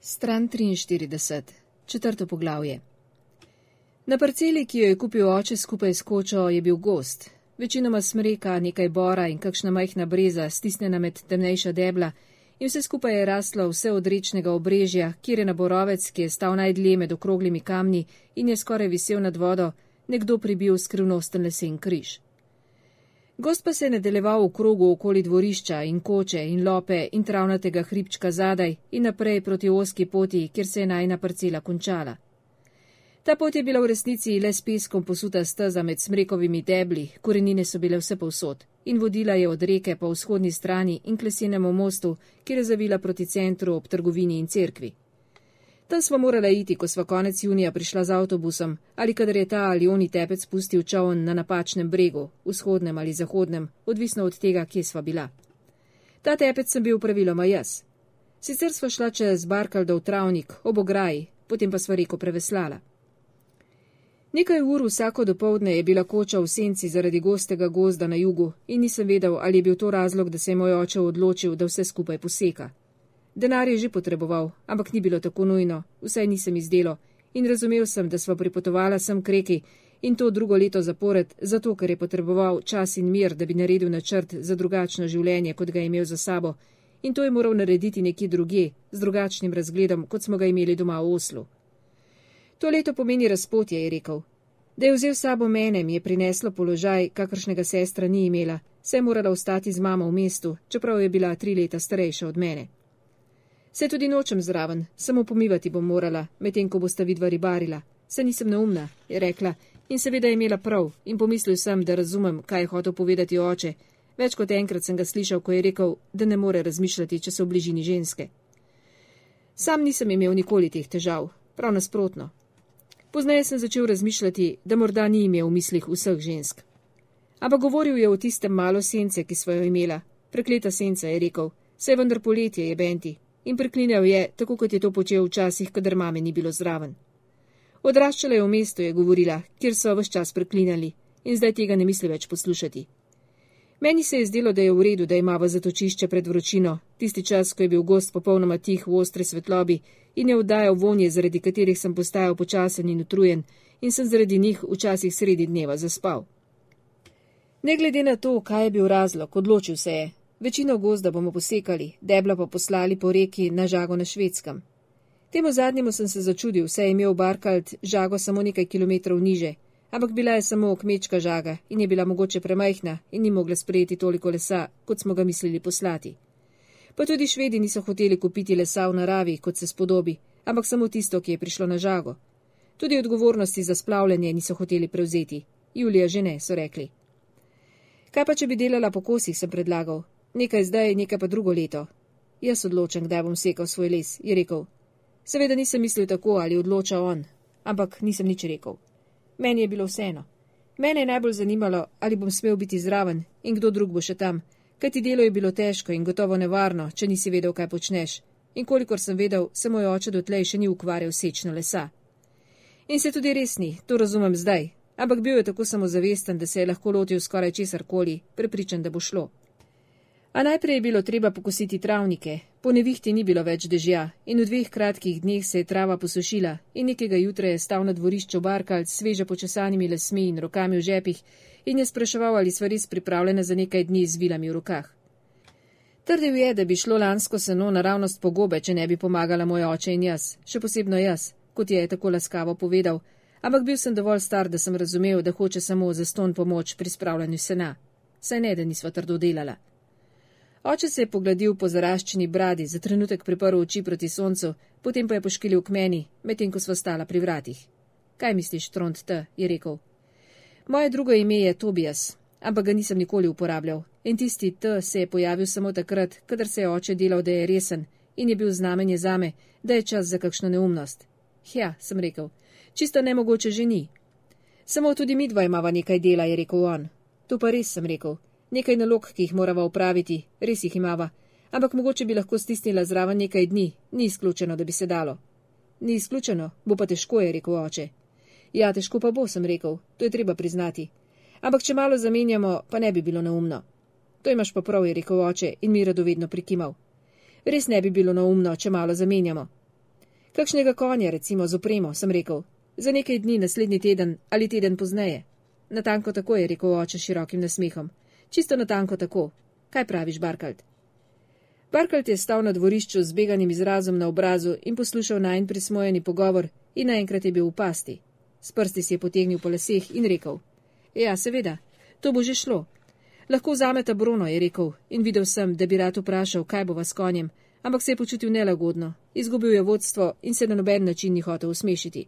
Stran 43. Četrto poglavje. Na parceli, ki jo je kupil oče skupaj s kočo, je bil gozd. Večinoma smreka, nekaj bora in kakšna majhna breza, stisnjena med temnejša debla, in vse skupaj je raslo vse od rečnega obrežja, kjer je na borovec, ki je stal najdlje med okroglimi kamni in je skoraj visel nad vodo, nekdo pribil skrivnosten lesen križ. Gozd pa se je nadaljeval v krogu okoli dvorišča in koče in lope in travnatega hribčka zadaj in naprej proti ozki poti, kjer se je najina parcela končala. Ta pot je bila v resnici le s peskom posuta steza med smrekovimi debli, korenine so bile vse povsod in vodila je od reke po vzhodni strani in k lesenemu mostu, kjer je zavila proti centru ob trgovini in cerkvi. Tam smo morala iti, ko sva konec junija prišla z avtobusom, ali kadar je ta ali oni tepec pustil čoln na napačnem bregu, vzhodnem ali zahodnem, odvisno od tega, kje sva bila. Ta tepec sem bil praviloma jaz. Sicer sva šla čez Barkaldov travnik, ob ograji, potem pa sva reko preveslala. Nekaj ur vsako dopoldne je bila koča v senci zaradi gostega gozda na jugu in nisem vedel, ali je bil to razlog, da se je moj oče odločil, da vse skupaj poseka. Denar je že potreboval, ampak ni bilo tako nujno, vsaj nisem izdelo in razumel sem, da sva pripotovala sem k reki in to drugo leto zapored, zato ker je potreboval čas in mir, da bi naredil načrt za drugačno življenje, kot ga je imel za sabo, in to je moral narediti nekje drugje, z drugačnim razgledom, kot smo ga imeli doma v Oslu. To leto pomeni razpotje, je rekel. Da je vzel sabo mene, mi je prineslo položaj, kakršnega sestra ni imela, saj je morala ostati z mamo v mestu, čeprav je bila 3 leta starejša od mene. Se tudi nočem zraven, samo pomivati bom morala, medtem ko bosta vidva ribarila. Se nisem neumna, je rekla, in seveda je imela prav, in pomislil sem, da razumem, kaj je hotel povedati oče. Več kot enkrat sem ga slišal, ko je rekel, da ne more razmišljati, če so v bližini ženske. Sam nisem imel nikoli teh težav, prav nasprotno. Pozneje sem začel razmišljati, da morda ni imel v mislih vseh žensk. Ampak govoril je o tistem malo sence, ki sva jo imela. Prekleta senca, je rekel, saj vendar poletje je benti. In preklinjal je, tako kot je to počel včasih, kadar mame ni bilo zraven. Odraščala je v mestu, je govorila, kjer so ves čas preklinjali, in zdaj tega ne misli več poslušati. Meni se je zdelo, da je v redu, da imava zatočišče pred vročino, tisti čas, ko je bil gozd popolnoma tih v ostri svetlobi in je oddajal vonje, zaradi katerih sem postajal počasen in utrujen in sem zaradi njih včasih sredi dneva zaspal. Ne glede na to, kaj je bil razlog, odločil se je. Večino gozda bomo posekali, debla pa poslali po reki na žago na Švedskem. Temu zadnjemu sem se začudil, saj je imel Barkald žago samo nekaj kilometrov niže, ampak bila je samo kmečka žaga in je bila mogoče premajhna in ni mogla sprejeti toliko lesa, kot smo ga mislili poslati. Pa tudi Švedi niso hoteli kupiti lesa v naravi, kot se spodobi, ampak samo tisto, ki je prišlo na žago. Tudi odgovornosti za splavljanje niso hoteli prevzeti. Julija že ne, so rekli. Kaj pa, če bi delala po kosih, sem predlagal. Nekaj zdaj, nekaj pa drugo leto. Jaz odločam, kdaj bom sekal svoj les, je rekel. Seveda nisem mislil tako, ali odloča on, ampak nisem nič rekel. Meni je bilo vseeno. Mene je najbolj zanimalo, ali bom smel biti zraven in kdo drug bo še tam, kajti delo je bilo težko in gotovo nevarno, če nisi vedel, kaj počneš. In kolikor sem vedel, se moj oče dotlej še ni ukvarjal sečno lesa. In se tudi res ni, to razumem zdaj, ampak bil je tako samozavesten, da se je lahko lotil skoraj česarkoli, prepričan, da bo šlo. A najprej je bilo treba pokositi travnike, po nevihti ni bilo več dežja in v 2 kratkih dneh se je trava posušila in nekega jutra je stal na dvorišču Barkald s sveže počesanimi lasmi in rokami v žepih in je spraševal, ali sva res pripravljena za nekaj dni z vilami v rokah. Trdil je, da bi šlo lansko seno naravnost po gobe, če ne bi pomagala moj oče in jaz, še posebno jaz, kot je tako laskavo povedal, ampak bil sem dovolj star, da sem razumel, da hoče samo zastonj pomoč pri spravljanju sena. Saj ne, da nisva trdo delala. Oče se je pogladil po zaraščeni bradi, za trenutek priprl oči proti soncu, potem pa je poškilil k meni, medtem ko sva stala pri vratih. Kaj misliš, Trond T, je rekel. Moje drugo ime je Tobias, ampak ga nisem nikoli uporabljal. In tisti T se je pojavil samo takrat, kadar se je oče delal, da je resen in je bil znamenje zame, da je čas za kakšno neumnost. Ja, sem rekel, čisto nemogoče že ni. Samo tudi midva imava nekaj dela, je rekel on. To pa res, sem rekel. Nekaj nalog, ki jih morava upraviti, res jih imava, ampak mogoče bi lahko stisnila zraven nekaj dni, ni izključeno, da bi se dalo. Ni izključeno, bo pa težko, je rekel oče. Ja, težko pa bo, sem rekel, to je treba priznati. Ampak če malo zamenjamo, pa ne bi bilo neumno. To imaš pa prav, je rekel oče in mi radovedno prikimal. Res ne bi bilo neumno, če malo zamenjamo. Kakšnega konja, recimo, z opremo, sem rekel. Za nekaj dni, naslednji teden ali teden pozneje. Natanko tako, je rekel oče širokim nasmehom. Čisto natanko tako. Kaj praviš, Barkald? Barkald je stal na dvorišču z beganim izrazom na obrazu in poslušal najin prismojeni pogovor in naenkrat je bil v pasti. S prsti si je potegnil po laseh in rekel. Ja, seveda, to bo že šlo. Lahko vzameta Bruno, je rekel, in videl sem, da bi rad vprašal, kaj bova s konjem, ampak se je počutil nelagodno, izgubil je vodstvo in se na noben način ni hotel usmešiti.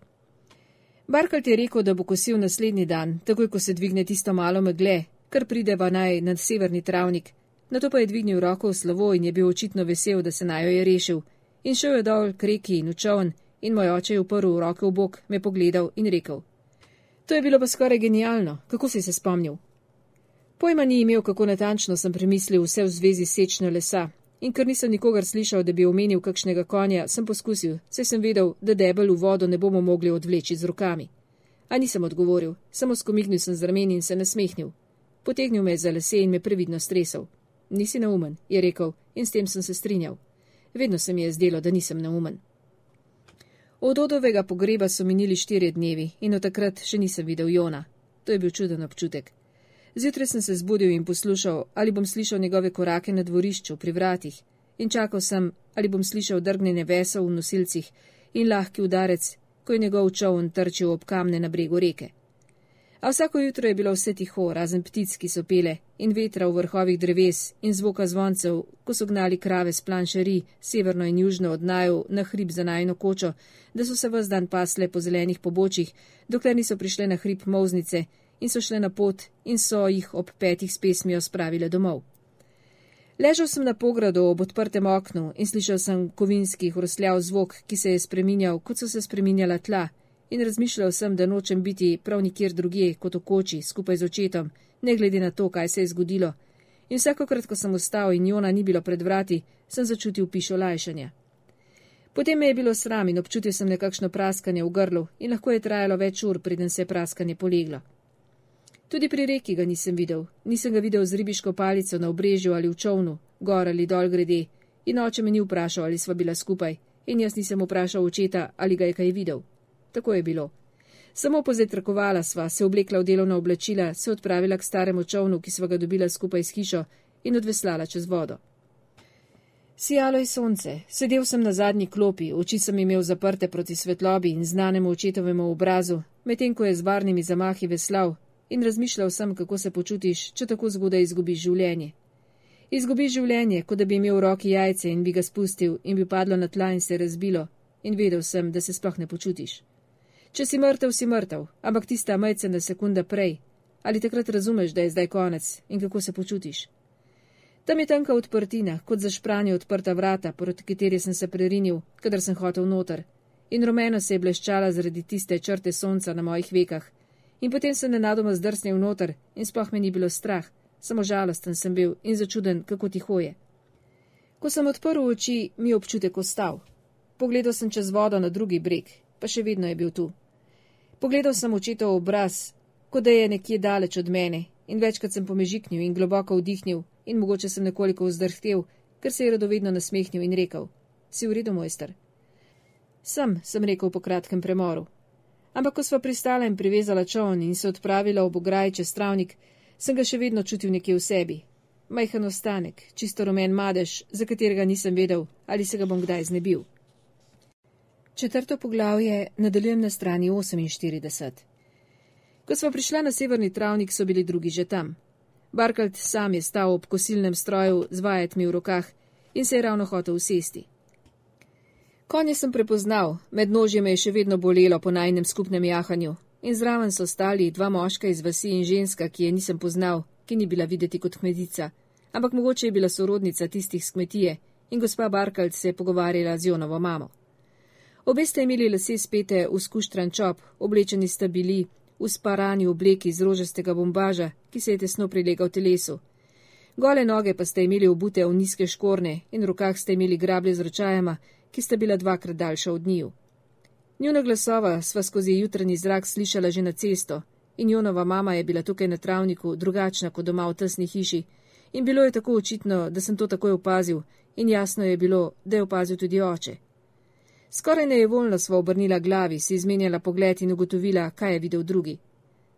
Barkald je rekel, da bo kosil naslednji dan, takoj ko se dvigne tisto malo megle, kar prideva naj na severni travnik. Nato pa je dvignil roko v slovo in je bil očitno vesel, da se najo je rešil. In šel je dol k reki in v čoln in moj oče je uprl roke v bok, me pogledal in rekel. To je bilo pa skoraj genialno, kako si se spomnil? Pojma ni imel, kako natančno sem premislil vse v zvezi s sečno lesa. In ker nisem nikogar slišal, da bi omenil kakšnega konja, sem poskusil, saj sem vedel, da debel v vodo ne bomo mogli odvleči z rokami. A nisem odgovoril, samo skomignil sem z rameni in se nasmehnil. Potegnil me je za lase in me previdno stresel. Nisi neumen, je rekel, in s tem sem se strinjal. Vedno se mi je zdelo, da nisem neumen. Od Odovega pogreba so minili 4 dnevi in od takrat še nisem videl Jona. To je bil čuden občutek. Zjutraj sem se zbudil in poslušal, ali bom slišal njegove korake na dvorišču pri vratih in čakal sem, ali bom slišal drgnjenje vesov v nosilcih in lahki udarec, ko je njegov čoln trčil ob kamne na bregu reke. A vsako jutro je bilo vse tiho, razen ptic, ki so pele, in vetra v vrhovih dreves in zvoka zvoncev, ko so gnali krave s planšeri severno in južno od naju na hrib za najino kočo, da so se ves dan pasle po zelenih pobočjih, dokler niso prišle na hrib Molznice in so šle na pot in so jih ob 5 s pesmijo spravile domov. Ležal sem na pogradu ob odprtem oknu in slišal sem kovinski hrustljav zvok, ki se je spreminjal, kot so se spreminjala tla, in razmišljal sem, da nočem biti prav nikjer drugje kot v koči, skupaj z očetom, ne glede na to, kaj se je zgodilo. In vsakokrat, ko sem vstal in Jona ni bilo pred vrati, sem začutil pišo lajšanja. Potem me je bilo sram in občutil sem nekakšno praskanje v grlu in lahko je trajalo več ur, preden se je praskanje poleglo. Tudi pri reki ga nisem ga videl z ribiško palico na obrežju ali v čovnu, gor ali dol grede, in oče me ni vprašal, ali sva bila skupaj, in jaz nisem vprašal očeta, ali ga je kaj videl. Tako je bilo. Samo pozetrakovala sva, se oblekla v delovna oblačila, se odpravila k staremu čovnu, ki sva ga dobila skupaj s hišo, in odveslala čez vodo. Sijalo je sonce, sedel sem na zadnji klopi, oči sem imel zaprte proti svetlobi in znanemu očetovemu obrazu, medtem ko je z varnimi zamahi veslal, in razmišljal sem, kako se počutiš, če tako zgodaj izgubiš življenje. Izgubiš življenje, kot da bi imel v roki jajce in bi ga spustil in bi padlo na tla in se razbilo, in vedel sem, da se sploh ne počutiš. Če si mrtev, ampak tista majcena sekunda prej, ali takrat razumeš, da je zdaj konec in kako se počutiš. Tam je tanka odprtina, kot za špranje odprta vrata, proti kateri sem se prerinil, kadar sem hotel noter, in rumeno se je bleščala zaradi tiste črte sonca na mojih vekah, in potem sem nenadoma zdrsnil noter in sploh me ni bilo strah, samo žalosten sem bil in začuden, kako tiho je. Ko sem odprl oči, mi je občutek ostal. Pogledal sem čez vodo na drugi breg, pa še vedno je bil tu. Pogledal sem očetov obraz, kot da je nekje daleč od mene, in večkrat sem pomežiknil in globoko vdihnil in mogoče sem nekoliko vzdrhtel, ker se je radovedno nasmehnil in rekel, si v redu, mojster? Sem rekel po kratkem premoru. Ampak ko sva pristala in privezala čoln in se odpravila ob ograji čez travnik, sem ga še vedno čutil nekje v sebi. Majhen ostanek, čisto rumen madež, za katerega nisem vedel, ali se ga bom kdaj znebil. 4. poglavje nadaljujem na strani 48. Ko sva prišla na severni travnik, so bili drugi že tam. Barkald sam je stal ob kosilnem stroju z vajetmi v rokah in se je ravno hotel usesti. Konje sem prepoznal, med nožje me je še vedno bolelo po najnem skupnem jahanju in zraven so stali 2 moška iz vasi in ženska, ki je nisem poznal, ki ni bila videti kot kmetica, ampak mogoče je bila sorodnica tistih s kmetije in gospa Barkald se je pogovarjala z Jonovo mamo. Obe sta imeli lase spete v skuštran čop, oblečeni sta bili v sparani obleki iz rožastega bombaža, ki se je tesno prilegal telesu. Gole noge pa sta imeli obute v nizke škorne in v rokah sta imeli grablje z ročajama, ki sta bila 2-krat daljša od njiju. Njuna glasova sva skozi jutranji zrak slišala že na cesto in Jonova mama je bila tukaj na travniku drugačna kot doma v tesni hiši in bilo je tako očitno, da sem to takoj opazil in jasno je bilo, da je opazil tudi oče. Skoraj nejevoljno sva obrnila glavi, si izmenjala pogled in ugotovila, kaj je videl drugi.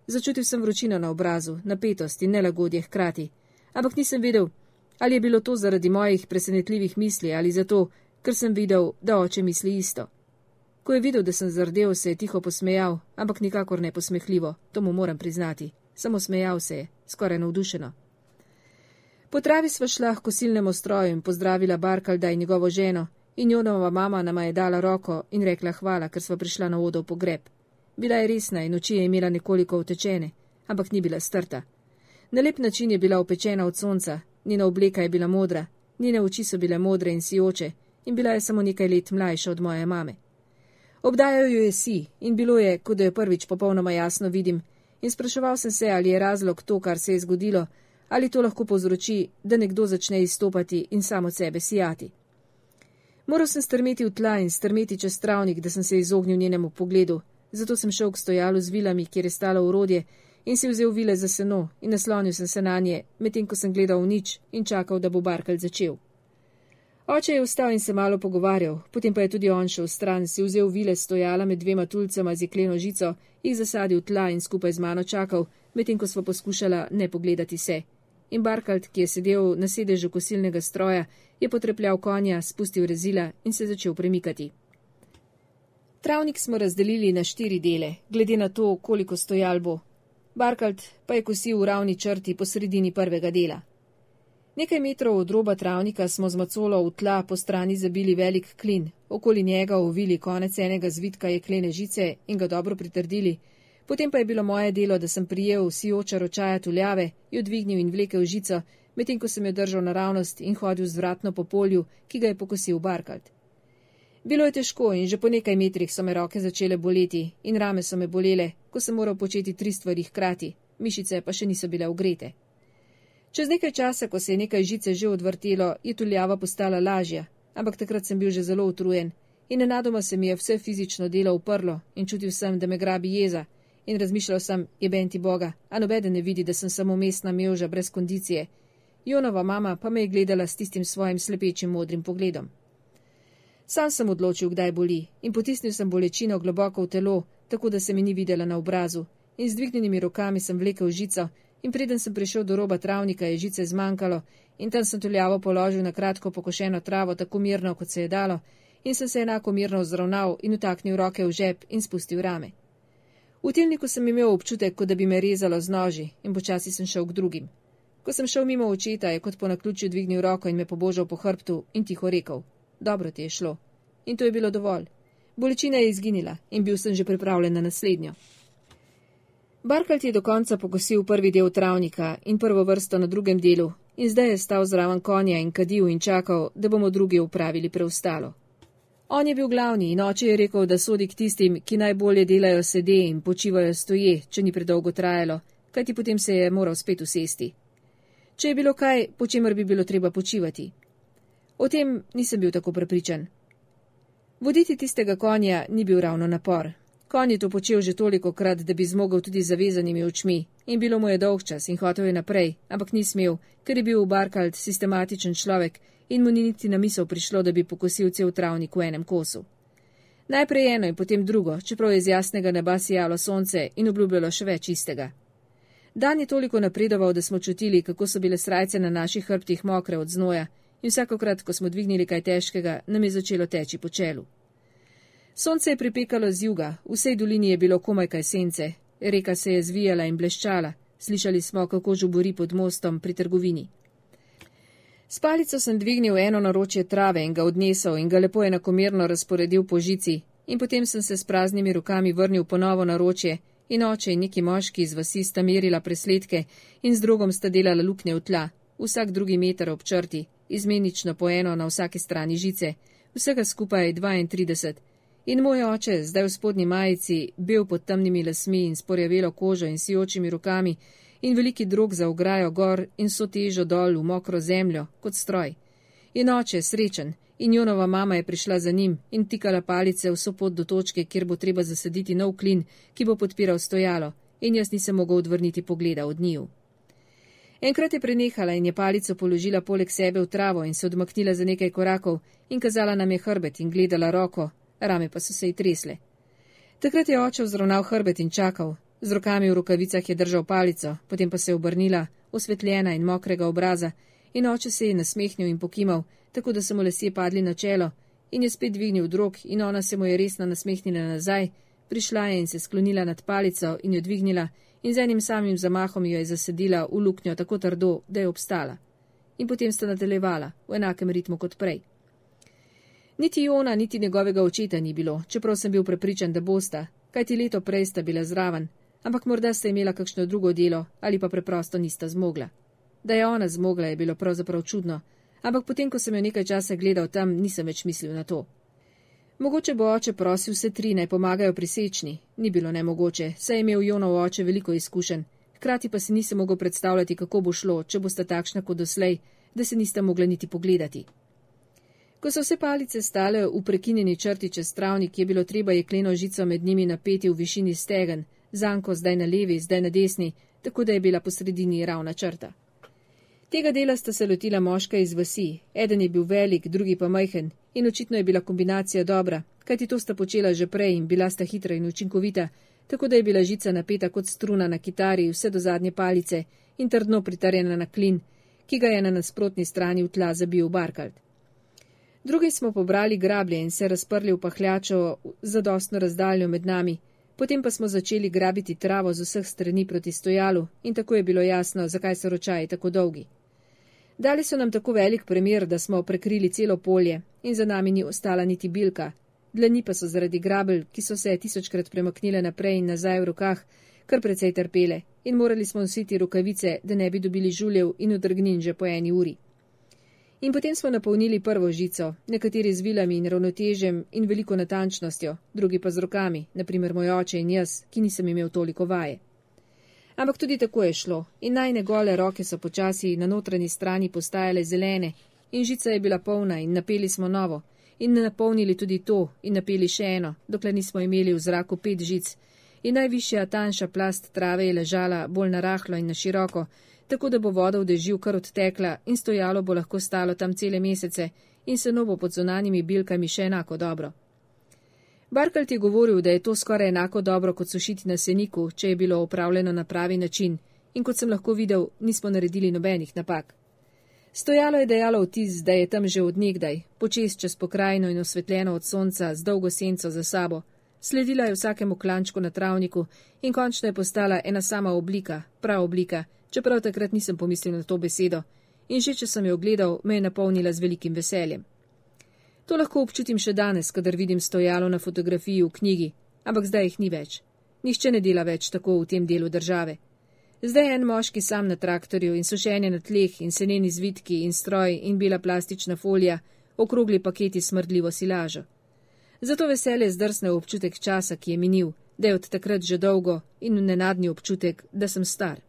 Začutil sem vročino na obrazu, napetost in nelagodje hkrati, ampak nisem vedel, ali je bilo to zaradi mojih presenetljivih misli ali zato, ker sem videl, da oče misli isto. Ko je videl, da sem zardel, se je tiho posmejal, ampak nikakor ne posmehljivo, to mu moram priznati. Samo smejal se je, skoraj navdušeno. Po travi sva šla k kosilnemu stroju in pozdravila Barkalda in njegovo ženo, in Jonova mama nama je dala roko in rekla hvala, ker sva prišla na Odov pogreb. Bila je resna in oči je imela nekoliko utečene, ampak ni bila strta. Na lep način je bila opečena od sonca, njena obleka je bila modra, njene oči so bile modre in sijoče in bila je samo nekaj let mlajša od moje mame. Obdajal jo je si in bilo je, kot da jo prvič popolnoma jasno vidim, in spraševal sem se, ali je razlog to, kar se je zgodilo, ali to lahko povzroči, da nekdo začne izstopati in sam od sebe sijati. Moral sem strmeti v tla in strmeti čez travnik, da sem se izognil njenemu pogledu, zato sem šel k stojalu z vilami, kjer je stalo orodje, in si vzel vile za seno in naslonil sem se na nje, medtem ko sem gledal v nič in čakal, da bo Barkald začel. Oče je vstal in se malo pogovarjal, potem pa je tudi on šel stran, si vzel vile stojala med dvema tulcama z jekleno žico, jih zasadil tla in skupaj z mano čakal, medtem ko sva poskušala ne pogledati se. In Barkald, ki je sedel na sedežu kosilnega stroja, je potrepljal konja, spustil rezila in se začel premikati. Travnik smo razdelili na 4 dele, glede na to, koliko stojal bo. Barkald pa je kosil v ravni črti po sredini prvega dela. Nekaj metrov od roba travnika smo z macolo v tla po strani zabili velik klin, okoli njega ovili konec enega zvitka jeklene žice in ga dobro pritrdili, potem pa je bilo moje delo, da sem prijel sijoča ročaja tuljave, jo dvignil in vlekel žico, medtem ko sem jo držal naravnost in hodil zvratno po polju, ki ga je pokosil Barkald. Bilo je težko in že po nekaj metrih so me roke začele boleti in rame so me bolele, ko sem moral početi 3 stvari hkrati, mišice pa še niso bile ogrete. Čez nekaj časa, ko se je nekaj žice že odvrtelo, je tuljava postala lažja, ampak takrat sem bil že zelo utrujen in nenadoma se mi je vse fizično delo uprlo in čutil sem, da me grabi jeza in razmišljal sem, jeben ti Boga, a nobeden ne vidi, da sem samo mestna mevža brez kondicije. Jonova mama pa me je gledala s tistim svojim slepečim modrim pogledom. Sam sem odločil, kdaj boli, in potisnil sem bolečino globoko v telo, tako da se mi ni videla na obrazu, in z dvignjenimi rokami sem vlekel žico, in preden sem prišel do roba travnika, je žice zmanjkalo, in tam sem tuljavo položil na kratko pokošeno travo, tako mirno, kot se je dalo, in sem se enako mirno vzravnal in utaknil roke v žep in spustil rame. V tilniku sem imel občutek, kot da bi me rezalo z noži, in počasi sem šel k drugim. Ko sem šel mimo očeta, je kot po naključju dvignil roko in me pobožal po hrbtu in tiho rekel: dobro ti je šlo. In to je bilo dovolj. Bolečina je izginila in bil sem že pripravljen na naslednjo. Barkald je do konca pokosil prvi del travnika in prvo vrsto na drugem delu in zdaj je stal zraven konja in kadil in čakal, da bomo drugi upravili preostalo. On je bil glavni in oče je rekel, da sodi k tistim, ki najbolje delajo sede in počivajo stoje, če ni predolgo trajalo, kajti potem se je moral spet usesti. Če je bilo kaj, po čemer bi bilo treba počivati. O tem nisem bil tako prepričan. Voditi tistega konja ni bil ravno napor. Konj je to počel že toliko krat, da bi zmogel tudi zavezanimi očmi in bilo mu je dolgčas in hotel je naprej, ampak ni smel, ker je bil Barkald sistematičen človek in mu ni niti na misel prišlo, da bi pokosil cel travnik v enem kosu. Najprej eno in potem drugo, čeprav je z jasnega neba sijalo sonce in obljubljalo še več istega. Dan je toliko napredoval, da smo čutili, kako so bile srajce na naših hrbtih mokre od znoja in vsakokrat, ko smo dvignili kaj težkega, nam je začelo teči po čelu. Sonce je pripekalo z juga, v vsej dolini je bilo komaj kaj sence, reka se je zvijala in bleščala, slišali smo, kako žubori pod mostom pri trgovini. S palico sem dvignil eno naročje trave in ga odnesel in ga lepo enakomerno razporedil po žici in potem sem se s praznimi rokami vrnil ponovo naročje in oče in neki moški iz vasi sta merila presledke in z drogom sta delala luknje v tla, vsak drugi meter ob črti, izmenično po eno na vsaki strani žice, vsega skupaj 32. In moj oče, zdaj v spodnji majici, bel pod temnimi lasmi in sporjavelo kožo in sijočimi rokami in veliki drog za ograjo gor in so težo dol v mokro zemljo, kot stroj. In oče, srečen, in Jonova mama je prišla za njim in tikala palice vso pot do točke, kjer bo treba zasaditi nov klin, ki bo podpiral stojalo, in jaz nisem mogel odvrniti pogleda od njiju. Enkrat je prenehala in je palico položila poleg sebe v travo in se odmaknila za nekaj korakov in kazala nam je hrbet in gledala roko, rame pa so se ji tresle. Takrat je oče vzravnal hrbet in čakal, z rokami v rokavicah je držal palico, potem pa se je obrnila, osvetljena in mokrega obraza, in oče se je nasmehnil in pokimal, tako da so mu lasje padli na čelo, in je spet dvignil drog in ona se mu je resno nasmehnila nazaj, prišla je in se sklonila nad palico in jo dvignila in z enim samim zamahom jo je zasedila v luknjo tako trdo, da je obstala. In potem sta nadaljevala, v enakem ritmu kot prej. Niti Jona, niti njegovega očeta ni bilo, čeprav sem bil prepričan, da bosta, kajti leto prej sta bila zraven, ampak morda sta imela kakšno drugo delo ali pa preprosto nista zmogla. Da je ona zmogla, je bilo pravzaprav čudno, ampak potem, ko sem jo nekaj časa gledal tam, nisem več mislil na to. Mogoče bo oče prosil vse tri, naj pomagajo pri sečni. Ni bilo nemogoče, saj je imel Jonov oče veliko izkušenj, hkrati pa si nisem mogel predstavljati, kako bo šlo, če bosta takšna kot doslej, da se nista mogla niti pogledati. Ko so vse palice stale v prekinjeni črti čez travnik, je bilo treba jekleno žico med njimi napeti v višini stegen, zanko zdaj na levi, zdaj na desni, tako da je bila po sredini ravna črta. Tega dela sta se lotila moška iz vasi, eden je bil velik, drugi pa majhen, in očitno je bila kombinacija dobra, kajti to sta počela že prej in bila sta hitra in učinkovita, tako da je bila žica napeta kot struna na kitari vse do zadnje palice in trdno pritarjena na klin, ki ga je na nasprotni strani v tla zabil Barkald. Drugi smo pobrali grablje in se razprli v pahljačo zadostno razdaljo med nami, potem pa smo začeli grabiti travo z vseh strani proti stojalu in tako je bilo jasno, zakaj so ročaji tako dolgi. Dali so nam tako velik premer, da smo prekrili celo polje in za nami ni ostala niti bilka, dlani pa so zaradi grabelj, ki so se 1000krat premaknile naprej in nazaj v rokah, kar precej trpele in morali smo nositi rokavice, da ne bi dobili žuljev in odrgnin že po 1 uri. In potem smo napolnili prvo žico, nekateri z vilami in ravnotežjem in veliko natančnostjo, drugi pa z rokami, naprimer moj oče in jaz, ki nisem imel toliko vaje. Ampak tudi tako je šlo in najne gole roke so počasi na notranji strani postajale zelene in žica je bila polna in napeli smo novo in napolnili tudi to in napeli še eno, dokler nismo imeli v zraku 5 žic in najvišja tanjša plast trave je ležala bolj na rahlo in na široko, tako da bo voda v dežju kar odtekla in stojalo bo lahko stalo tam cele mesece in seno bo pod zunanjimi bilkami še enako dobro. Barkald je govoril, da je to skoraj enako dobro kot sušiti na seniku, če je bilo opravljeno na pravi način in kot sem lahko videl, nismo naredili nobenih napak. Stojalo je dajalo vtis, da je tam že od nekdaj, počez čez pokrajino in osvetljeno od sonca z dolgo senco za sabo. Sledila je vsakemu klančku na travniku in končno je postala ena sama oblika, prav oblika, čeprav takrat nisem pomislil na to besedo in že če sem jo gledal, me je napolnila z velikim veseljem. To lahko občutim še danes, kadar vidim stojalo na fotografiji v knjigi, ampak zdaj jih ni več. Nihče ne dela več tako v tem delu države. Zdaj je en moški sam na traktorju in sušenje na tleh in seneni zvitki in stroj in bela plastična folija, okrogli paketi smrdljivo silažo. Zato veselje zdrsne v občutek časa, ki je minil, da je od takrat že dolgo in nenadni občutek, da sem star.